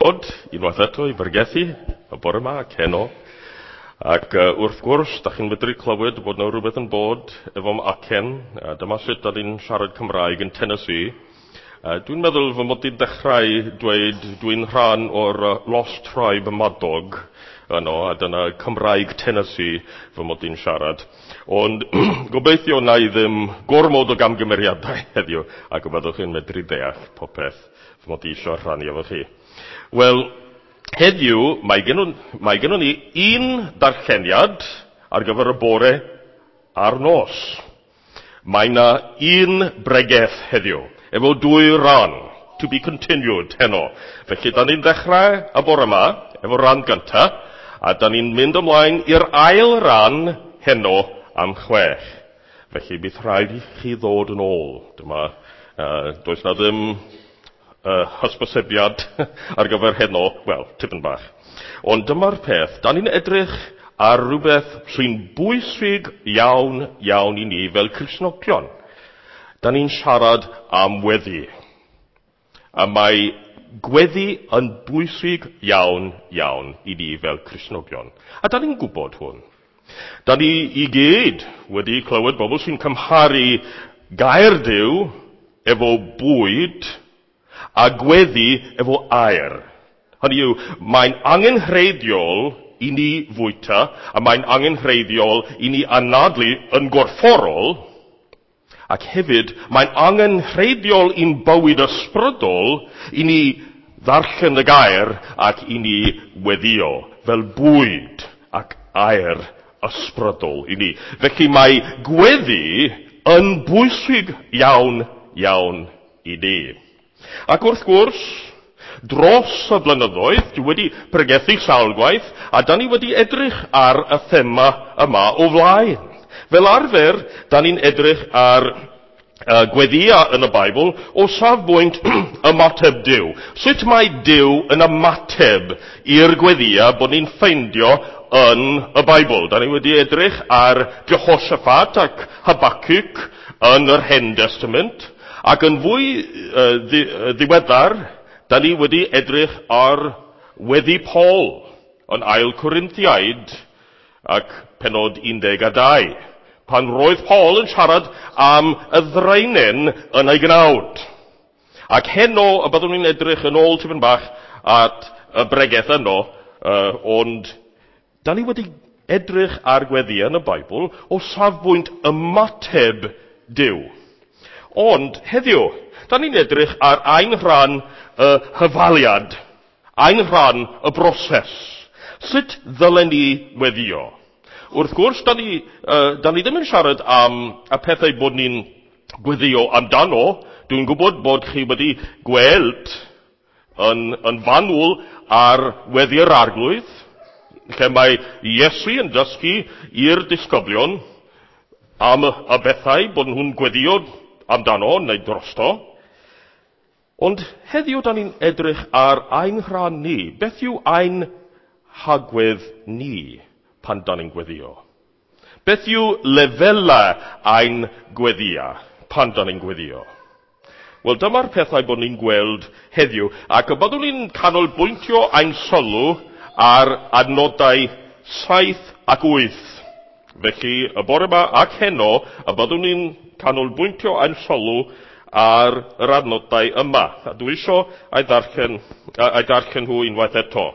Dod unwaith eto i bregethu y bore yma ac heno. Ac wrth gwrs, da chi'n medru clywed bod yna rhywbeth yn bod efo'm acen. Dyma sut da ni'n siarad Cymraeg yn Tennessee. Dwi'n meddwl fy mod i'n dechrau dweud dwi'n rhan o'r Lost Tribe Madog yno, a dyna Cymraeg Tennessee fy mod i'n siarad. Ond gobeithio na i ddim gormod o gamgymeriadau heddiw, ac y byddwch chi'n medru deall popeth fy mod i eisiau rhannu efo chi. Wel, heddiw mae gennon ni un darlleniad ar gyfer y bore a'r nos. Mae yna un bregeth heddiw, efo dwy ran, to be continued heno. Felly, da ni'n dechrau y bore yma, efo ran gynta, a da ni'n mynd ymlaen i'r ail ran heno am 6. Felly, bydd rhaid i chi ddod yn ôl. Dyma, does na ddim hysbysebiad ar gyfer heno, wel, tipyn bach. Ond dyma'r peth, da ni'n edrych ar rhywbeth sy'n bwysig iawn, iawn i ni fel Cristnogion. Da ni'n siarad am weddi. A mae gweddi yn bwysig iawn, iawn i ni fel Cristnogion. A da ni'n gwybod hwn. Da ni i gyd wedi clywed bobl sy'n cymharu gair Duw efo bwyd a gweddi efo aer. Hynny yw, mae'n angenrheidiol i ni fwyta, a mae'n angenrheidiol i ni anadlu yn gorfforol, ac hefyd mae'n angenrheidiol i'n bywyd ysbrydol i ni ddarllen y gair ac i ni weddio fel bwyd ac aer ysbrydol i ni. Felly mae gweddi yn bwysig iawn, iawn i ni. Ac wrth gwrs, dros y blynyddoedd, dwi wedi pregethu sawl gwaith, a da ni wedi edrych ar y thema yma o flaen. Fel arfer, da ni'n edrych ar gweddia yn y Beibl o safbwynt ymateb Duw. Sut mae Duw yn ymateb i'r gweddia bod ni'n ffeindio yn y Beibl? Da ni wedi edrych ar Jehoshaphat ac Habakkuk yn yr Hen Testament, ac yn fwy ddiweddar, da ni wedi edrych ar weddi Paul yn Ail Corinthiaid ac penod 12, pan roedd Paul yn siarad am y ddraenen yn ei gnawd. Ac heno y byddwn ni'n edrych yn ôl tipyn bach at y bregeth yno, ond da ni wedi edrych ar gweddi yn y Beibl o safbwynt ymateb Duw. Ond heddiw, da ni'n edrych ar ein rhan y hyfaliad, ein rhan y broses. Sut ddylen ni weddio? Wrth gwrs, da ni ddim yn siarad am y pethau bod ni'n gweddio amdano. Dwi'n gwybod bod chi wedi gweld yn fanwl ar weddi'r Arglwydd, lle mae Iesu yn dysgu i'r disgyblion am y bethau bod nhw'n gweddio amdano neu drosto. Ond heddiw da ni'n edrych ar ein rhan ni. Beth yw ein hagwedd ni pan da ni'n gweddio? Beth yw lefelau ein gweddia pan da ni'n gweddio? Wel, dyma'r pethau bod ni'n gweld heddiw, ac y byddwn ni'n canolbwyntio ein sylw ar adnodau 7 ac 8. Felly, y bore yma ac heno, y byddwn ni'n canolbwyntio ein sylw ar yr adnodau yma. A dwi isio ei darllen nhw unwaith eto.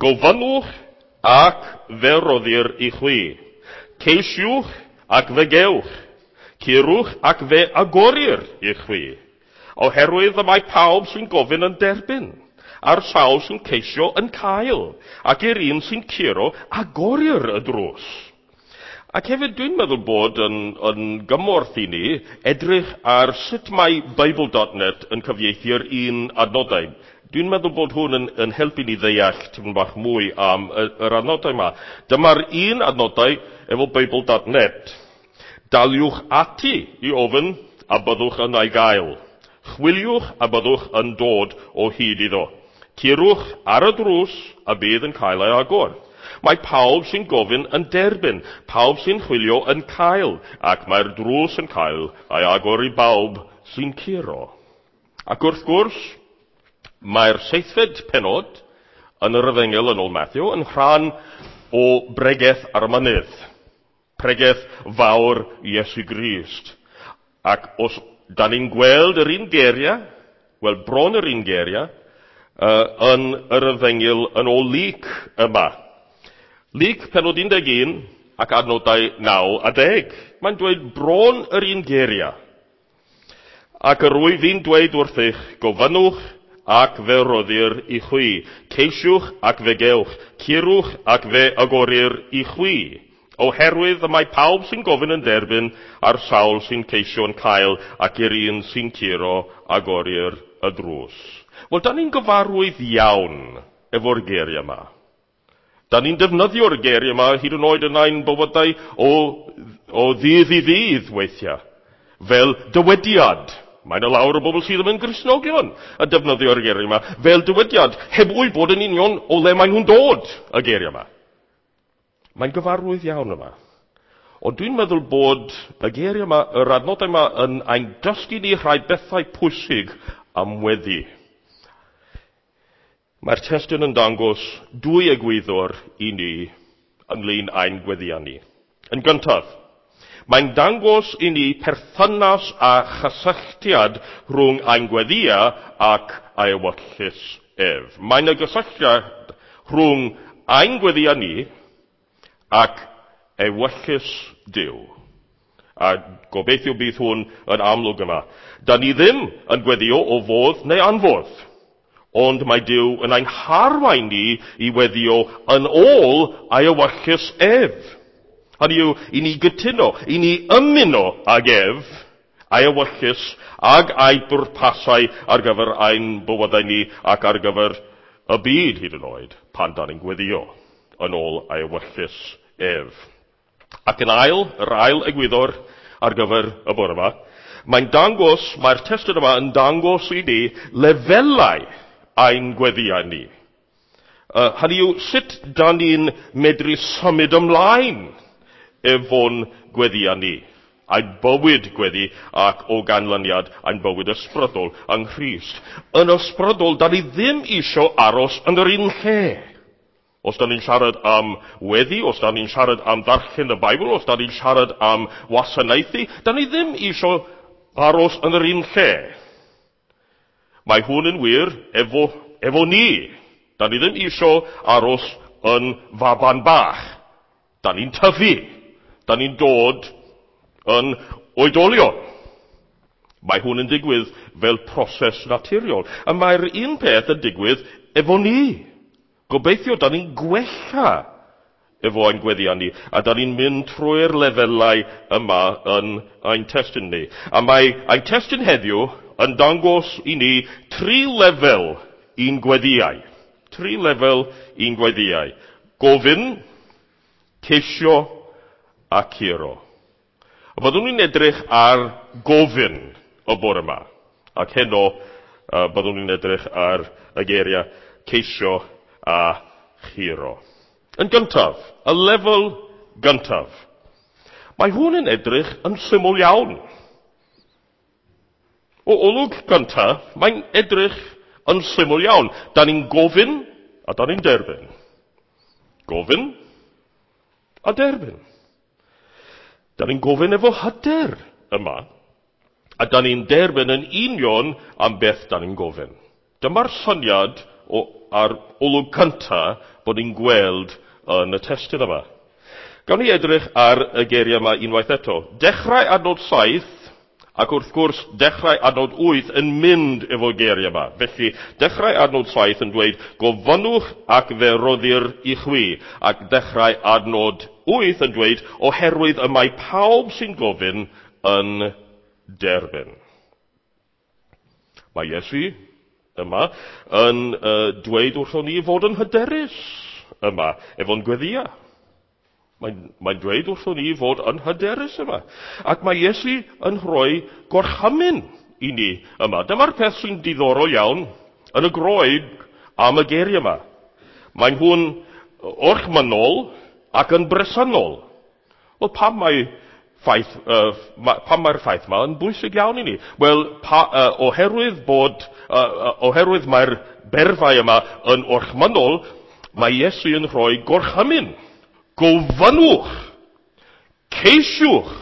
Gofynnwch ac fe roddir i chwi. Ceisiwch ac fe gewch. Curwch ac fe agorir i chwi. Oherwydd y mae pawb sy'n gofyn yn derbyn, a'r sawl sy'n ceisio yn cael, ac i'r un sy'n curo agorir y drws. Ac hefyd dwi'n meddwl bod yn gymorth i ni edrych ar sut mae Bible.net yn cyfieithu'r un adnodau. Dwi'n meddwl bod hwn yn helpu ni ddeall tipyn bach mwy am yr adnodau yma. Dyma'r un adnodau efo Bible.net. Daliwch ati i ofyn a byddwch yn ei gael. Chwiliwch a byddwch yn dod o hyd iddo. Curwch ar y drws a bydd yn cael ei agor. Mae pawb sy'n gofyn yn derbyn, pawb sy'n chwilio yn cael, ac mae'r drws yn cael ei agor i bawb sy'n curo. Ac wrth gwrs, Mae'r seithfed pennod yn yr Efengyl yn ôl Matthew yn rhan o bregeth ar y mynydd. Pregeth fawr Iesu Grist. Ac os da ni'n gweld yr un geiriau, wel bron yr un geiriau, yn yr Efengyl yn ôl Luc yma. Luc pennod 11 ac adnodau 9 a 10. Mae'n dweud bron yr un geiriau. Ac yr wyf fi'n dweud wrthych, gofynnwch ac fe roddir i chwi. Ceisiwch ac fe gewch. Curwch ac fe agorir i chwi. Oherwydd y mae pawb sy'n gofyn yn derbyn, a'r sawl sy'n ceisio yn cael, ac i'r un sy'n curo agorir y drws. Wel, da ni'n gyfarwydd iawn efo'r geiriau yma. Da ni'n defnyddio'r geiriau yma hyd yn oed yn ein bywydau o ddydd i ddydd weithiau. Fel dywediad. Mae yna lawer o bobl sydd ddim yn Gristnogion yn defnyddio'r geiriau yma fel dywediad, heb wybod yn union o le maen nhw'n dod y geiriau yma. Mae'n gyfarwydd iawn yma. Ond dwi'n meddwl bod y geiriau yma, yr adnodau yma, yn ein dysgu ni rhai bethau pwysig am weddi. Mae'r testun yn dangos dwy egwyddor i ni ynglyn â'n gweddiau ni. Yn gyntaf, mae'n dangos i ni perthynas a chysylltiad rhwng ein gweddiau ac ei ewyllys ef. Mae'n y gysylltiad rhwng ein gweddiau ni ac ewyllys Duw. A gobeithio bydd hwn yn amlwg yma. Da ni ddim yn gweddio o fodd neu anfodd. Ond mae Duw yn ein harwain ni i weddio yn ôl ei ewyllys ef. Hynny yw, i ni gytuno, i ni ymuno ag ef, ei ewyllys ag ei bwrpasau ar gyfer ein bywydau ni ac ar gyfer y byd hyd yn oed pan da ni'n gweddio yn ôl ei ewyllys ef. Ac yn ail, yr ail egwyddor ar gyfer y bore yma, mae'n dangos, mae'r testun yma yn dangos i ni lefelau ein gweddiau ni. Hynny yw, sut da ni'n medru symud ymlaen efo'n gweddiau ni, ein bywyd gweddi ac o ganlyniad ein bywyd ysbrydol yng Nghrist. Yn ysbrydol, da ni ddim isio aros yn yr un lle. Os da ni'n siarad am weddi, os da ni'n siarad am ddarllen y Beibl, os da ni'n siarad am wasanaethu, da ni ddim isio aros yn yr un lle. Mae hwn yn wir efo ni. Da ni ddim isio aros yn faban bach. Da ni'n tyfu. Da ni'n dod yn oedolion. Mae hwn yn digwydd fel proses naturiol. A mae'r un peth yn digwydd efo ni. Gobeithio, da ni'n gwella efo ein gweddiau ni, a da ni'n mynd trwy'r lefelau yma yn ein testun ni. A mae ein testun heddiw yn dangos i ni tri lefel i'n gweddiau. Tri lefel i'n gweddiau. Gofyn, ceisio a curo. A byddwn ni'n edrych ar gofyn y bore yma. Ac heno byddwn ni'n edrych ar y geiriau ceisio a churo. Yn gyntaf, y lefel gyntaf. Mae hwn yn edrych yn syml iawn. O olwg gyntaf, mae'n edrych yn syml iawn. Da ni'n gofyn a da ni'n derbyn. Gofyn a derbyn. Da ni'n gofyn efo hyder yma, a da ni'n derbyn yn union am beth da ni'n gofyn. Dyma'r syniad ar olwg cyntaf bod ni'n gweld yn y testun yma. Gawn ni edrych ar y geiriau yma unwaith eto. Dechrau adnod 7, ac wrth gwrs dechrau adnod 8 yn mynd efo geiriau yma. Felly, dechrau adnod 7 yn dweud, gofynnwch ac fe roddir i chwi. Ac dechrau adnod 8 yn dweud, oherwydd y mae pawb sy'n gofyn yn derbyn. Mae Iesu yma yn dweud wrthon ni fod yn hyderus yma, efo'n gweddia. Mae'n dweud wrthon ni fod yn hyderus yma. Ac mae Iesu yn rhoi gorchymyn i ni yma. Dyma'r peth sy'n diddorol iawn yn y Groeg am y geiriau yma. Mae'n hwn orchmynol ac yn bresennol. Wel, pam mae'r ffaith yma yn bwysig iawn i ni? Wel, oherwydd bod oherwydd mae'r berfau yma yn orchmynnol, mae Iesu yn rhoi gorchymyn. Gofynnwch, ceisiwch,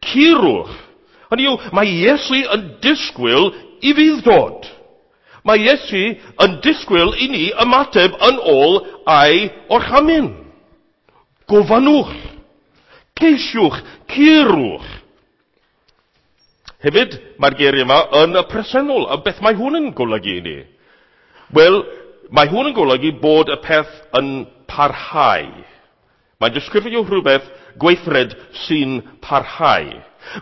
curwch. Hynny yw, mae Iesu yn disgwyl i fudd-dod. Mae Iesu yn disgwyl i ni ymateb yn ôl ei orchymyn. Gofynnwch, ceisiwch, curwch. Hefyd, mae'r geiriau yma yn y presennol. A beth mae hwn yn golygu i ni? Wel, mae hwn yn golygu bod y peth yn parhau. Mae'n disgrifio rhywbeth gweithred sy'n parhau.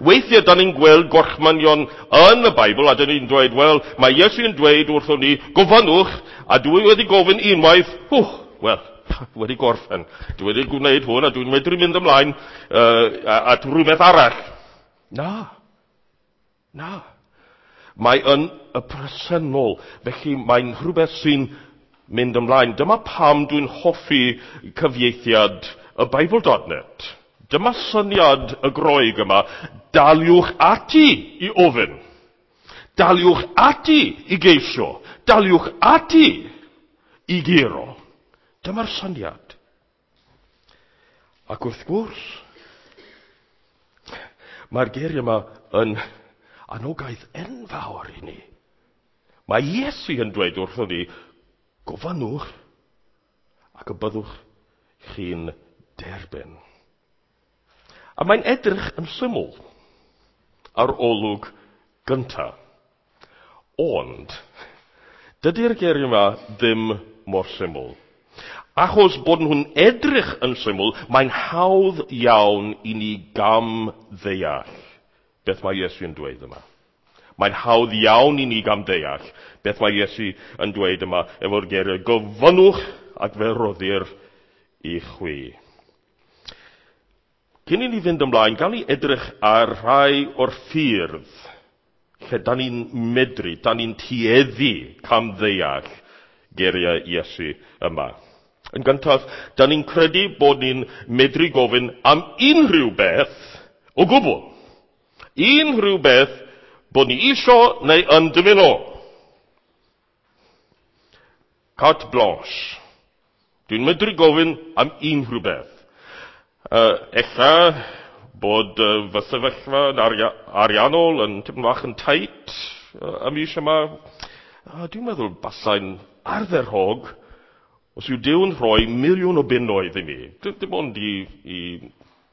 Weithiau, da ni'n gweld gorchmynion yn y Beibl, a da ni'n dweud, wel, mae Iesu yn dweud wrthon ni, gofynnwch, a dwi wedi gofyn unwaith, wel, wedi gorffen. Dwi wedi gwneud hwn, a dwi'n medru mynd ymlaen at rhywbeth arall. Na. Na. Mae yn y presennol, felly mae'n rhywbeth sy'n mynd ymlaen. Dyma pam dwi'n hoffi cyfieithiad y Bible.net. Dyma syniad y Groeg yma. Daliwch ati i ofyn. Daliwch ati i geisio. Daliwch ati i guro. Dyma'r syniad. Ac wrth gwrs, mae'r geiriau yma yn anogaeth enfawr i ni. Mae Iesu yn dweud wrthon ni, gofynnwch ac y byddwch chi'n derbyn. A mae'n edrych yn syml ar olwg gyntaf. Ond, dydy'r geiriau yma ddim mor syml. Achos bod nhw'n edrych yn syml, mae'n hawdd iawn i ni gam ddeall beth mae Iesu yn dweud yma. Mae'n hawdd iawn i ni gam deall beth mae Iesu yn dweud yma efo'r geiriau gofynnwch ac fe roddir i chwi. Cyn i ni fynd ymlaen, gawn ni edrych ar rhai o'r ffyrdd lle da ni'n medru, da ni'n tueddu camddeall geiriau Iesu yma. Yn gyntaf, da ni'n credu bod ni'n medru gofyn am unrhyw beth o gwbl. Unrhyw beth bod ni isio neu yn dymuno. Carte blanche. Dwi'n medru gofyn am unrhyw beth. Ella bod fy sefyllfa yn ariannol yn tipyn bach yn tight y mis yma. Dwi'n meddwl basai'n ardderchog os yw Duw yn rhoi 1,000,000 o bunnoedd i mi. Dim ond i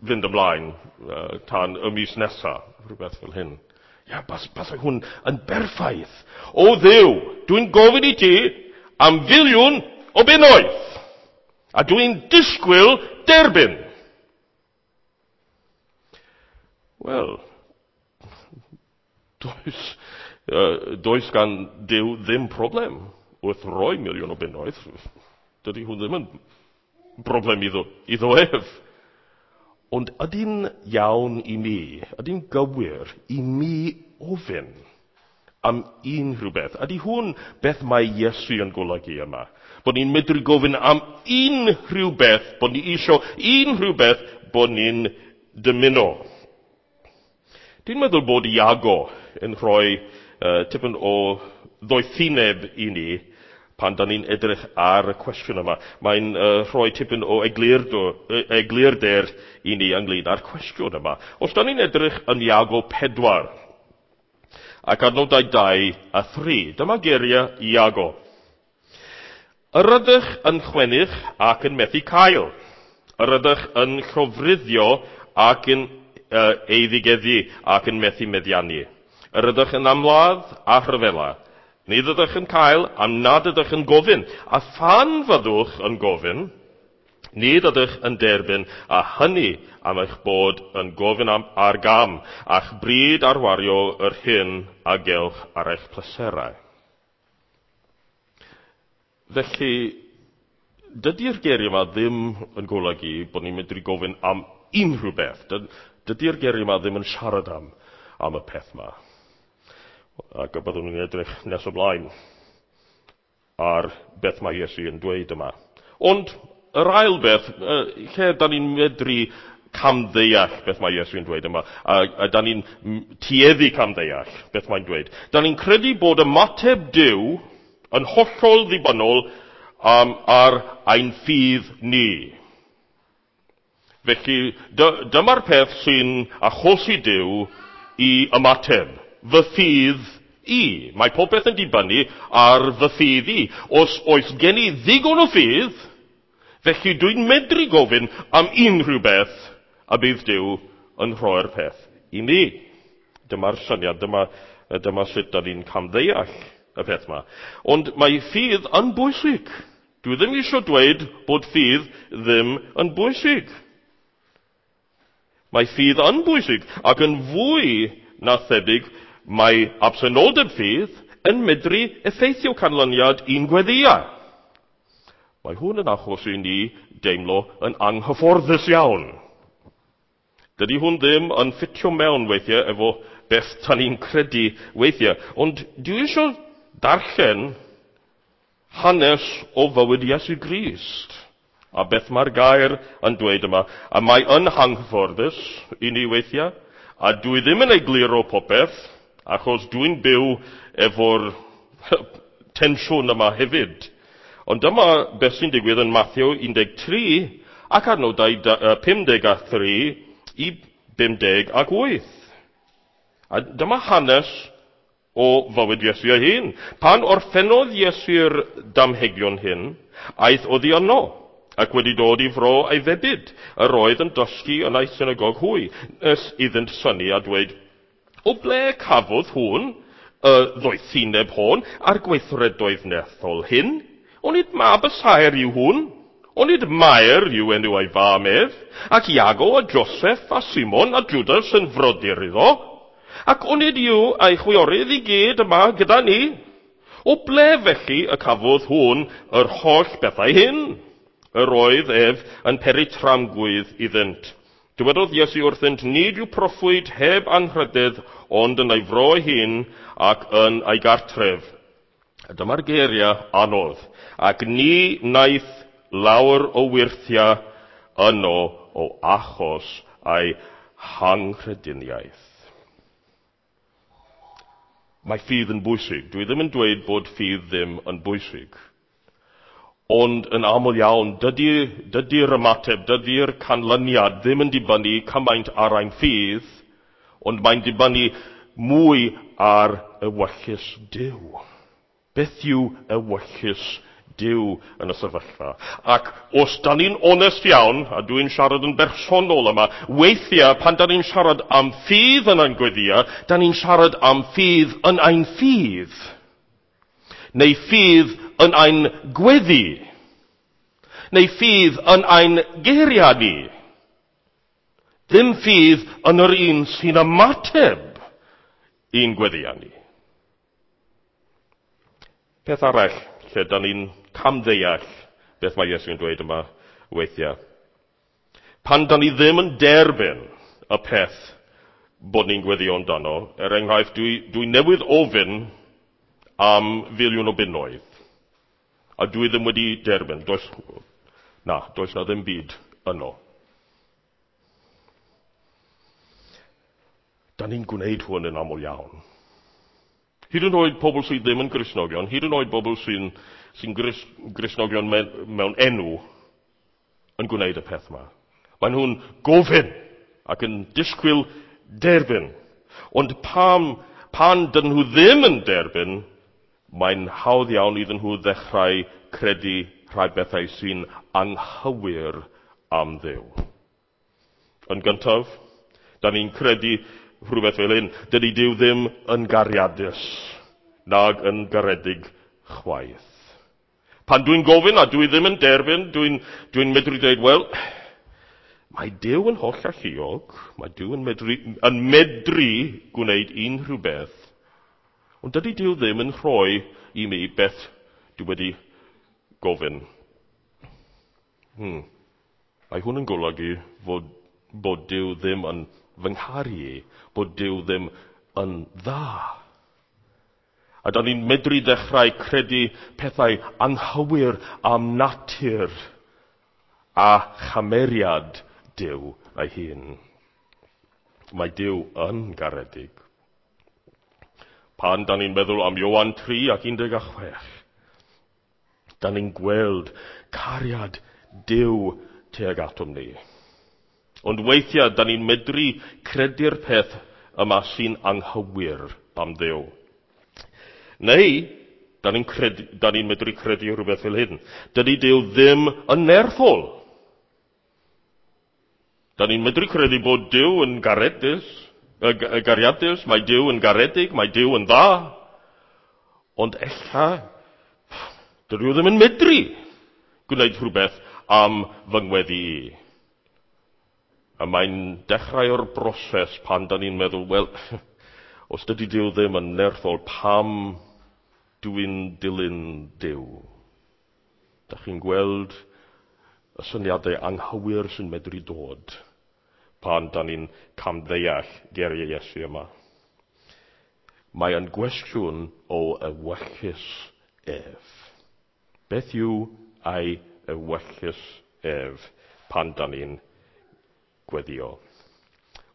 fynd ymlaen tan y mis nesaf, rhywbeth fel hyn. Ia, basai hwn yn berffaith. O Dduw, dwi'n gofyn i ti am 1,000,000 o bunnoedd. A dwi'n disgwyl derbyn. Wel, does gan Duw ddim problem wrth roi 1,000,000 o bunnoedd. Dydy hwn ddim yn broblem iddo ef. Ond ydy'n iawn i mi, ydy'n gywir i mi ofyn am unrhyw beth? Ydy hwn beth mae Iesu yn golygu yma? Bod ni'n medru gofyn am unrhyw beth, bod ni isio unrhyw beth, bod ni'n dymuno. Dwi'n meddwl bod Iago yn rhoi tipyn o ddoethineb i ni pan da ni'n edrych ar y cwestiwn yma. Mae'n rhoi tipyn o eglurder i ni ynglyn â'r cwestiwn yma. Os da ni'n edrych yn Iago 4, ac adnodau 2 a 3, dyma geiriau Iago. Yr ydych yn chwennych ac yn methu cael. Yr ydych yn llofruddio ac yn eiddigeddu ac yn methu meddiannu. Yr ydych yn amladd a rhyfela. Nid ydych yn cael am nad ydych yn gofyn. A phan fyddwch yn gofyn, nid ydych yn derbyn, a hynny am eich bod yn gofyn am ar gam, a'ch bryd ar wario yr hyn a gewch ar eich pleserau. Felly, dydy'r geiriau yma ddim yn golygu bod ni'n medru gofyn am unrhyw beth. Dydy'r geiriau yma ddim yn siarad am y peth yma. Ac y byddwn ni'n edrych nes ymlaen ar beth mae Iesu yn dweud yma. Ond yr ail beth, lle da ni'n medru camddeall beth mae Iesu'n dweud yma. A da ni'n tueddu camddeall beth mae'n dweud. Da ni'n credu bod ymateb Duw yn hollol ddibynnol ar ein ffydd ni. Felly, dyma'r peth sy'n achosi Duw i ymateb. Fy ffydd i. Mae popeth yn dibynnu ar fy ffydd i. Os oes gen i ddigon o ffydd, felly dwi'n medru gofyn am unrhyw beth a bydd Duw yn rhoi'r peth i mi. Dyma'r syniad, dyma sut da ni'n camddeall y peth yma. Ond mae ffydd yn bwysig. Dwi ddim eisiau dweud bod ffydd ddim yn bwysig. Mae ffydd yn bwysig, ac yn fwy na thebyg mae absenoldeb ffydd yn medru effeithio canlyniad i'n gweddïau. Mae hwn yn achosi ni deimlo yn anghyfforddus iawn. Dydy hwn ddim yn ffitio mewn weithiau efo beth ta ni'n credu weithiau. Ond dwi eisiau darllen hanes o fywyd Iesu Grist. A beth mae'r gair yn dweud yma. A mae yn anghyfforddus i ni weithiau. A dwi ddim yn egluro popeth, achos dwi'n byw efo'r tensiwn yma hefyd. Ond dyma beth sy'n digwydd yn Mathew 13 ac adnodau 53 i 58. A dyma hanes o fywyd Iesu ei hun. Pan orffennodd Iesu'r damhegion hyn, aeth oddi yno, ac wedi dod i fro ei febyd. Yr oedd yn dysgu yn ei synagog hwy, nes iddynt synnu a dweud, o ble cafodd hwn y ddoethineb hon a'r gweithredoedd nerthol hyn? Onid mab y saer yw hwn? Onid Mair yw enw ei fam ef? Ac Iago a Joseph a Simon a Judas yn frodyr iddo? Ac onid yw ei chwiorydd i gyd yma gyda ni? O ble felly y cafodd hwn yr holl bethau hyn? Yr oedd ef yn peri tramgwydd iddynt. Dywedodd Iesu wrthynt, nid yw proffwyd heb anrhydedd, ond yn ei fro ei hun ac yn ei gartref. A dyma'r geiriau anodd. Ac ni wnaeth lawer o wyrthiau yno o achos ei hanghrediniaeth. Mae ffydd yn bwysig. Dwi ddim yn dweud bod ffydd ddim yn bwysig. Ond yn aml iawn, dydy'r ymateb, dydy'r canlyniad ddim yn dibynnu cymaint ar ein ffydd, ond mae'n dibynnu mwy ar ewyllys Duw. Beth yw ewyllys Duw yn y sefyllfa? Ac os da ni'n onest iawn, a dwi'n siarad yn bersonol yma, weithiau pan da ni'n siarad am ffydd yn ein gweddïau, da ni'n siarad am ffydd yn ein ffydd. Neu ffydd yn ein gweddi. Neu ffydd yn ein geiriau ni. Ddim ffydd yn yr un sy'n ymateb i'n gweddïau ni. Peth arall lle da ni'n camddeall beth mae Iesu'n dweud yma weithiau. Pan da ni ddim yn derbyn y peth bod ni'n gweddio amdano, er enghraifft, dwi newydd ofyn am filiwn o bunnoedd, a dwi ddim wedi derbyn. Does na ddim byd yno. Da ni'n gwneud hwn yn aml iawn. Hyd yn oed pobl sydd ddim yn Gristnogion, hyd yn oed pobl sy'n Gristnogion mewn enw yn gwneud y peth yma. Maen nhw'n gofyn ac yn disgwyl derbyn. Ond pan dyn nhw ddim yn derbyn, mae'n hawdd iawn iddyn nhw ddechrau credu rhai bethau sy'n anghywir am Dduw. Yn gyntaf, da ni'n credu rhywbeth fel hyn, dydy Duw ddim yn gariadus, nag yn garedig chwaith. Pan dwi'n gofyn a dwi ddim yn derbyn, dwi'n medru dweud, wel, mae Duw yn holl alluog, mae Duw yn medru gwneud unrhyw beth, ond dydy Duw ddim yn rhoi i mi beth dwi wedi gofyn. Mae hwn yn golygu bod Duw ddim yn fy ngharu i, bod Duw ddim yn dda. A da ni'n medru ddechrau credu pethau anghywir am natur a chameriad Duw ei hun. Mae Duw yn garedig. Pan da ni'n meddwl am Ioan 3 ac 16, da ni'n gweld cariad Duw tuag atom ni. Ond weithiau, da ni'n medru credu'r peth yma sy'n anghywir am Dduw. Neu, da ni'n ni medru credu rhywbeth fel hyn. Dydy Duw ddim yn nerthol. Da ni'n medru credu bod Duw yn garedus, gariadus, mae Duw yn garedig, mae Duw yn dda. Ond ella, dydy o ddim yn medru gwneud rhywbeth am fy ngweddi i. A mae'n dechrau o'r broses pan da ni'n meddwl, wel, os dydy Duw ddim yn nerthol, pam dwi'n dilyn Duw? Da chi'n gweld y syniadau anghywir sy'n medru dod pan da ni'n camddeall geiriau Iesu yma. Mae yn gwestiwn o ewyllys ef. Beth yw ei ewyllys ef pan da ni'n gweddio?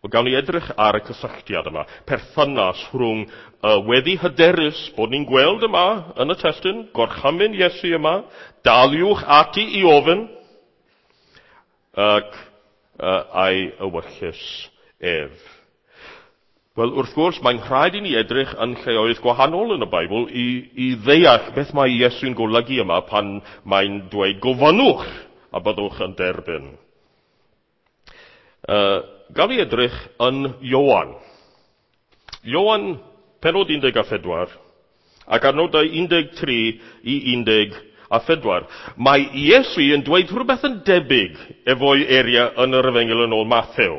Wel, gawn ni edrych ar y cysylltiad yma, perthynas rhwng y weddi hyderus bod ni'n gweld yma yn y testun, gorchymyn Iesu yma, daliwch ati i ofyn, ac a'i ewyllys ef. Wel, wrth gwrs, mae'n rhaid i ni edrych yn lleoedd gwahanol yn y Beibl i ddeall beth mae Iesu'n golygu yma pan mae'n dweud gofynnwch a byddwch yn derbyn. Gawn ni edrych yn Ioan. Ioan, pennod 14, ac adnodau 13 i 14. Mae Iesu yn dweud rhywbeth yn debyg efo'i eiriau yn yr Efengyl yn ôl Mathew.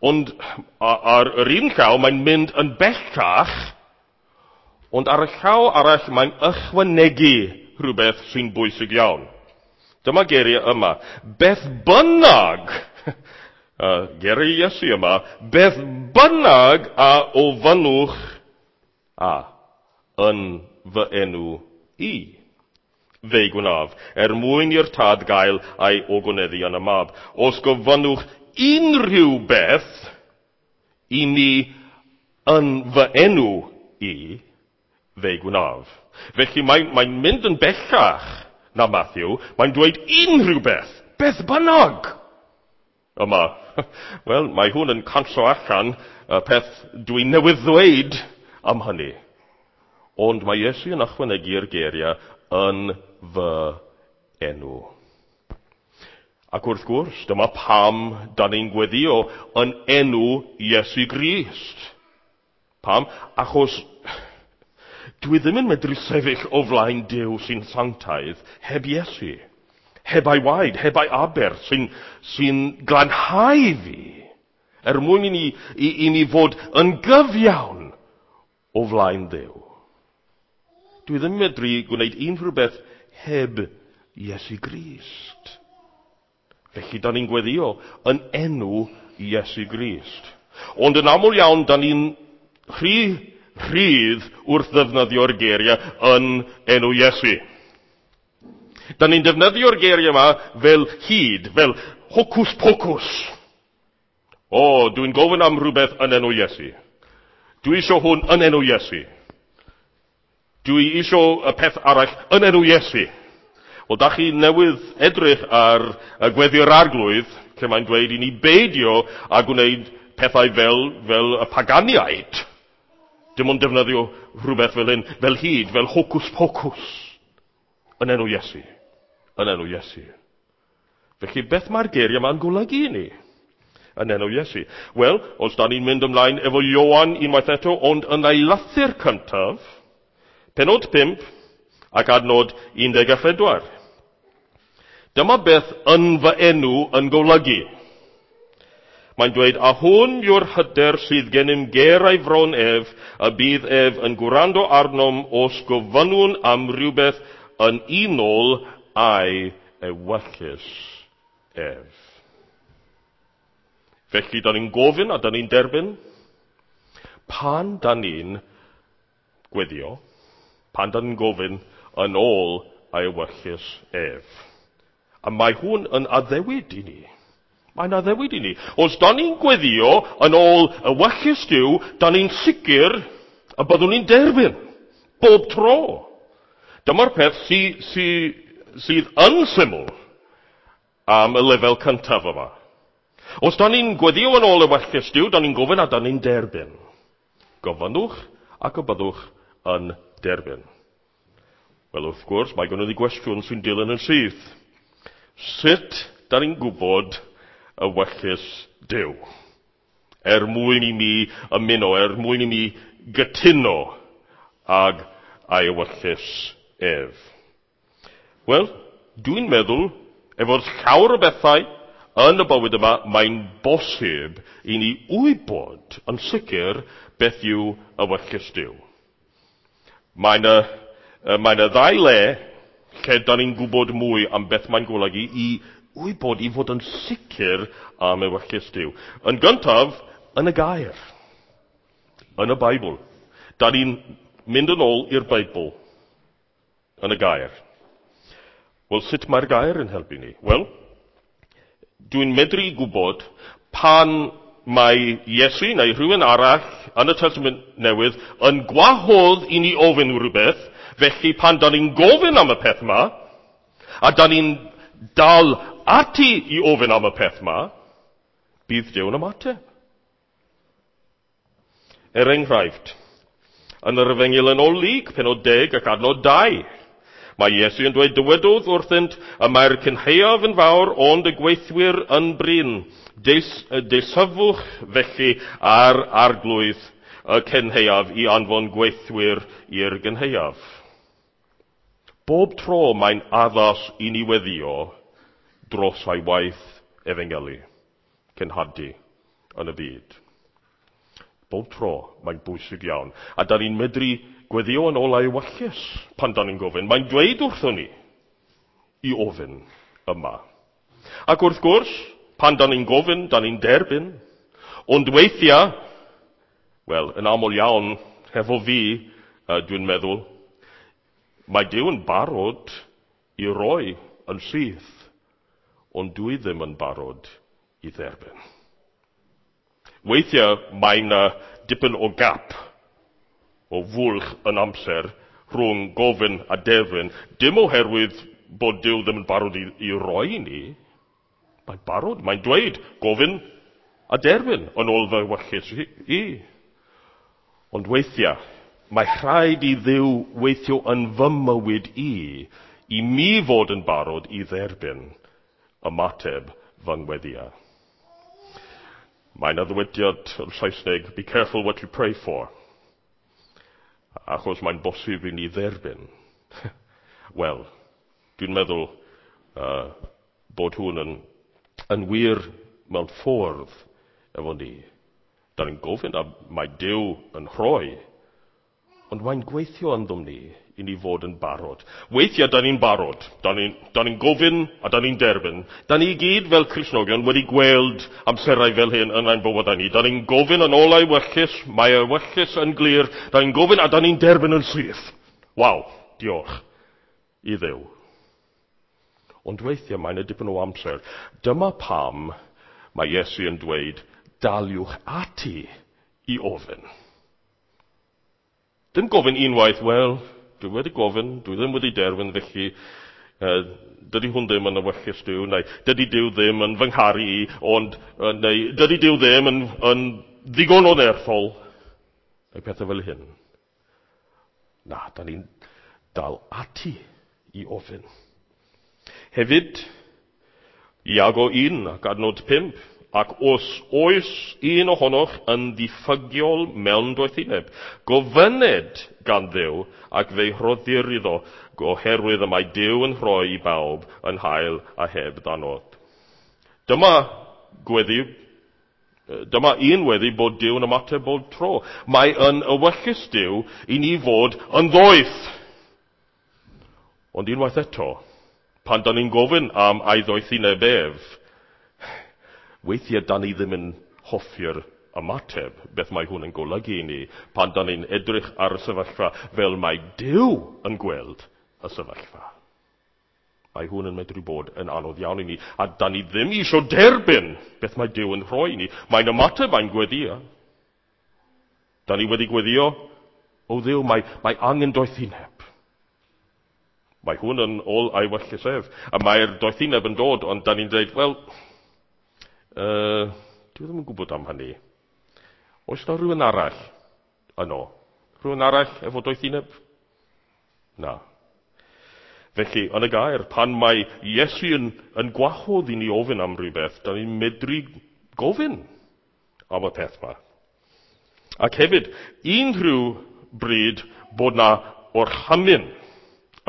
Ond ar yr un llaw mae'n mynd yn bellach, ond ar y llaw arall mae'n ychwanegu rhywbeth sy'n bwysig iawn. Dyma geiriau yma. Beth bynnag, geiriau Iesu yma, beth bynnag a ofynnwch a yn fy enw i, fe'i gwnaf, er mwyn i'r tad gael ei ogoneddu yn y mab. Os gofynnwch unrhyw beth i mi yn fy enw i, fe'i gwnaf. Felly mae'n mynd yn bellach na Matthew, mae'n dweud unrhyw beth, beth bynnag. Yma, wel, mae hwn yn canslo allan y peth dwi newydd ddweud am hynny. Ond mae Iesu yn ychwanegu'r geiriau yn fy enw. Ac wrth gwrs, dyma pam da ni'n gweddio yn enw Iesu Grist. Pam? Achos dwi ddim yn medru sefyll o flaen Duw sy'n sanctaidd heb Iesu, heb ei waed, heb ei aberth sy'n glanhau fi, er mwyn i ni fod yn gyfiawn o flaen Duw. Dwi ddim yn medru gwneud unrhyw beth heb Iesu Grist. Felly, da ni'n gweddio yn enw Iesu Grist. Ond yn aml iawn, da ni'n rhy rhydd wrth ddefnyddio'r geiriau yn enw Iesu. Da ni'n defnyddio'r geiriau yma fel hud, fel hocus pocus. O, dwi'n gofyn am rhywbeth yn enw Iesu. Dwi eisiau hwn yn enw Iesu. Dwi eisiau y peth arall yn enw Iesu. Wel, da chi newydd edrych ar y gweddi'r arglwydd, lle mae'n dweud i ni beidio a gwneud pethau fel y paganiaid. Dim ond defnyddio rhywbeth fel hyn, fel hud, fel hocus pocus. Yn enw Iesu. Yn enw Iesu. Felly, beth mae'r geiriau yma'n golygu i ni? Yn enw Iesu. Wel, os da ni'n mynd ymlaen efo Ioan unwaith eto, ond yn ei lythyr cyntaf, pennod 5 ac adnod 14. Dyma beth yn fy enw yn golygu. Mae'n dweud, a hwn yw'r hyder sydd gennym ger ei fron ef, a bydd ef yn gwrando arnom os gofynnwn am rhywbeth yn unol â'i ewyllys ef. Felly, da ni'n gofyn a da ni'n derbyn. Pan da ni'n gweddio, pan da ni'n gofyn yn ôl ei ewyllys ef. A mae hwn yn addewid i ni. Mae'n addewid i ni. Os da ni'n gweddio yn ôl ewyllys Duw, da ni'n sicr y byddwn ni'n derbyn. Bob tro. Dyma'r peth sydd yn syml am y lefel cyntaf yma. Os da ni'n gweddio yn ôl ewyllys Duw, da ni'n gofyn a da ni'n derbyn. Gofynnwch ac y byddwch yn derbyn. Wel, wrth gwrs, mae gynnon ni gwestiwn sy'n dilyn yn syth. Sut da ni'n gwybod ewyllys Duw? Er mwyn i mi ymuno, er mwyn i mi gytuno ag ei ewyllys ef. Wel, dwi'n meddwl, efo'r llawer o bethau yn y bywyd yma, mae'n bosib i ni wybod yn sicr beth yw ewyllys Duw. Mae yna ddau le lle da ni'n gwybod mwy am beth mae'n golygu i wybod, i fod yn sicr am ewyllys Duw. Yn gyntaf, yn y gair. Yn y Beibl. Da ni'n mynd yn ôl i'r Beibl. Yn y gair. Wel, sut mae'r gair yn helpu ni? Wel, dwi'n medru gwybod pan mae Iesu neu rhywun arall yn y Testament Newydd yn gwahodd i ni ofyn rhywbeth, felly pan da ni'n gofyn am y peth yma, a da ni'n dal ati i ofyn am y peth yma, bydd Duw yn ymateb. Er enghraifft, yn yr Efengyl yn ôl Luc, pennod 10 ac adnod 2, mae Iesu yn dweud, dywedodd wrthynt, y mae'r cynhaeaf yn fawr, ond y gweithwyr yn brin. Deisyfwch felly ar arglwydd y cynhaeaf i anfon gweithwyr i'r gynhaeaf. Bob tro mae'n addas i ni weddio dros ei waith efengylu, cenhadu yn y byd. Bob tro mae'n bwysig iawn. A da ni'n medru gweddio yn ôl ei ewyllys pan da ni'n gofyn. Mae'n dweud wrthon ni i ofyn yma. Ac wrth gwrs, pan da ni'n gofyn, da ni'n derbyn. Ond weithiau, wel, yn aml iawn, hefo fi, dwi'n meddwl, mae Duw yn barod i roi yn syth, ond dwi ddim yn barod i dderbyn. Weithiau mae yna dipyn o gap, o fwlch yn amser rhwng gofyn a derbyn, dim oherwydd bod Duw ddim yn barod i roi i ni. Mae'n barod, mae'n dweud gofyn a derbyn yn ôl fy ewyllys i. Ond weithiau, mae rhaid i Dduw weithio yn fy mywyd i, i mi fod yn barod i dderbyn ymateb fy ngweddïau. Mae yna ddywediad yn Saesneg, be careful what you pray for. Achos mae'n bosib i ni dderbyn. Wel, dwi'n meddwl bod hwn yn wir mewn ffordd efo ni. Da ni'n gofyn a mae Duw yn rhoi, ond mae'n gweithio ynddom ni i ni fod yn barod. Weithiau da ni'n barod, da ni'n gofyn a da ni'n derbyn. Da ni gyd fel Cristnogion wedi gweld amserau fel hyn yn ein bywydau ni. Da ni'n gofyn yn ôl ei ewyllys, mae ei ewyllys yn glir. Da ni'n gofyn a da ni'n derbyn yn syth. Waw, diolch i Dduw. Ond weithiau mae'n dipyn o amser. Dyma pam mae Iesu yn dweud, daliwch ati i ofyn. Dim gofyn unwaith, wel, dwi wedi gofyn, dwi ddim wedi derbyn, felly dydy hwn ddim yn ewyllys Duw, neu dydy Duw ddim yn fy ngharu i, ond, neu dydy Duw ddim yn ddigon o nerthol, neu pethau fel hyn. Na, da ni'n dal ati i ofyn. Hefyd, Iago 1 ac adnod 5, ac os oes un ohonoch yn ddiffygiol mewn doethineb, gofynned gan Dduw ac fe'i rhoddir iddo, oherwydd y mae Duw yn rhoi i bawb yn hael a heb ddanod. Dyma gweddi, dyma un weddi bod Duw yn ymateb bob tro. Mae yn ewyllys Duw i ni fod yn ddoeth. Ond unwaith eto, pan da ni'n gofyn am ei ddoethineb ef, weithiau da ni ddim yn hoffi'r ymateb, beth mae hwn yn golygu i ni, pan da ni'n edrych ar y sefyllfa fel mae Duw yn gweld y sefyllfa. Mae hwn yn medru bod yn anodd iawn i ni. A da ni ddim eisiau derbyn beth mae Duw yn rhoi i ni. Mae'n ymateb, mae'n gweddio. Da ni wedi gweddio, o Dduw, mae angen doethineb. Mae hwn yn ôl ei ewyllys ef. A mae'r doethineb yn dod, ond da ni'n dweud, wel, dwi ddim yn gwybod am hynny. Oes na rhywun arall yno? Rhywun arall efo doethineb? Na. Felly, yn y gair, pan mae Iesu yn gwahodd i ni ofyn am rhywbeth, da ni'n medru gofyn am y peth yma. Ac hefyd, unrhyw bryd bod na orchymyn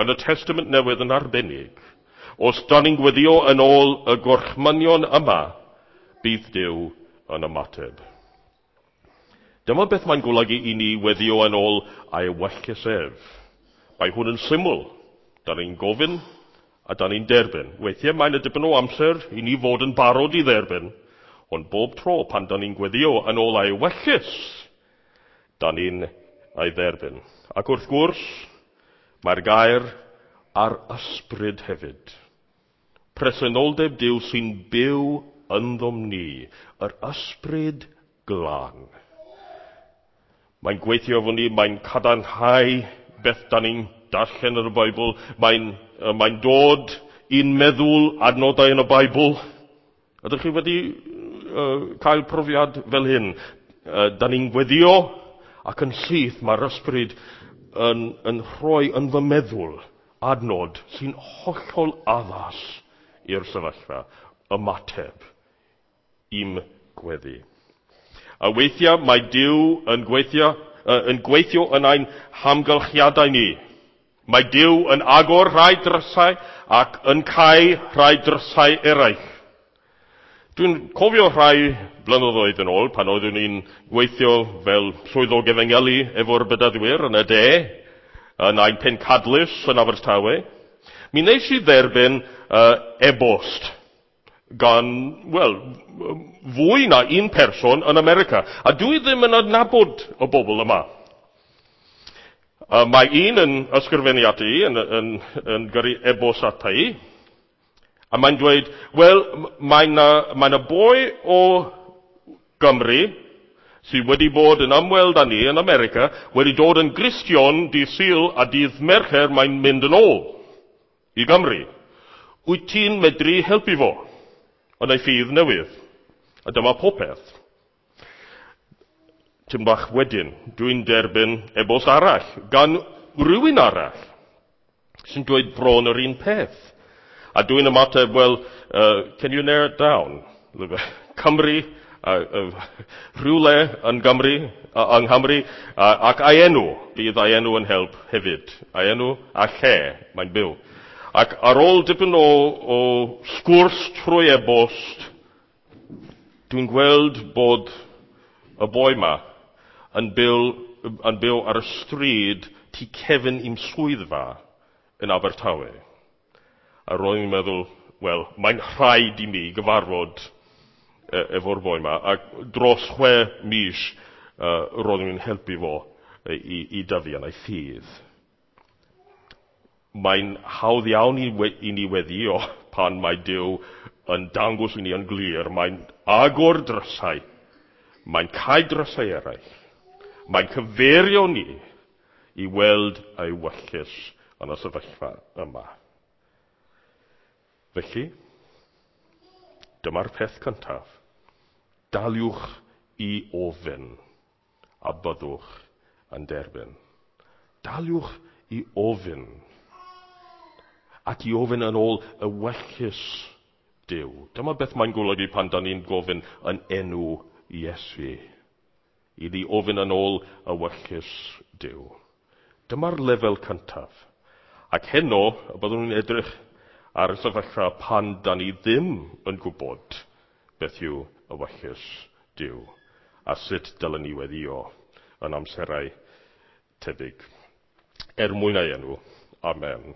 yn y Testament Newydd yn arbennig, os da ni'n gweddio yn ôl y gorchmynion yma, bydd Duw yn ymateb. Dyma beth mae'n golygu i ni weddio yn ôl ei ewyllys ef. Mae hwn yn syml. Da ni'n gofyn a da ni'n derbyn. Weithiau mae'n y dipyn o amser i ni fod yn barod i dderbyn, ond bob tro pan da ni'n gweddio yn ôl ei ewyllys, da ni'n ei dderbyn. Ac wrth gwrs, mae'r gair a'r ysbryd hefyd. Presenoldeb Duw sy'n byw ynddom ni, yr ysbryd glân. Mae'n gweithio efo ni, mae'n cadarnhau beth da ni'n darllen yn y Beibl, mae'n dod i'n meddwl adnodau yn y Beibl. Ydych chi wedi cael profiad fel hyn? Da ni'n gweddio ac yn syth mae'r ysbryd yn rhoi yn fy meddwl adnod sy'n hollol addas i'r sefyllfa, ymateb i'm gweddi. A weithiau mae Duw yn gweithio yn ein hamgylchiadau ni. Mae Duw yn agor rhai drysau ac yn cau rhai drysau eraill. Dwi'n cofio rhai blynyddoedd yn ôl pan oeddwn i'n gweithio fel swyddog efengylu efo'r bedyddwyr yn y de, yn ein pencadlys yn Abertawe. Mi wnes i dderbyn e-bost gan, wel, fwy na un person yn America. A dwi ddim yn adnabod y bobl yma. Mae un yn ysgrifennu ata i, yn gyrru e-bost ata i, a mae'n dweud, wel, mae 'na boi o Gymru sydd wedi bod yn ymweld â ni yn America, wedi dod yn Gristion dydd Sul a dydd Mercher mae'n mynd yn ôl i Gymru. Wyt ti'n medru helpu fo yn ei ffydd newydd? A dyma popeth. Tim bach wedyn, dwi'n derbyn e-bost arall gan rhywun arall sy'n dweud bron yr un peth. A dwi'n ymateb, well, can you narrow it down? Cymru, rhywle yn Gymru, yng Nghymru, ac ei enw, bydd ei enw yn help hefyd. Ei enw a lle mae'n byw. Ac ar ôl dipyn o sgwrs trwy e-bost, dwi'n gweld bod y boi ma yn byw ar y stryd tu cefn i'm swyddfa yn Abertawe. A roedd i'n meddwl, wel, mae'n rhaid i mi gyfarfod efo'r boi ma. Ac dros 6 mis roedd i'n helpu fo i dyfu yn ei ffydd. Mae'n hawdd iawn i ni weddio pan mae Duw yn dangos i ni yn glir. Mae'n agor drysau. Mae'n cau drysau eraill. Mae'n cyfeirio ni i weld ei ewyllys yn y sefyllfa yma. Felly, dyma'r peth cyntaf. Daliwch i ofyn a byddwch yn derbyn. Daliwch i ofyn ac i ofyn yn ôl ewyllys Duw. Dyma beth mae'n golygu pan da ni'n gofyn yn enw Iesu. I ni ofyn yn ôl ewyllys Duw. Dyma'r lefel cyntaf. Ac heno, byddwn ni'n edrych ar y sefyllfa pan da ni ddim yn gwybod beth yw ewyllys Duw a sut dylen ni weddio yn amserau tebyg. Er mwyn ei enw. Amen.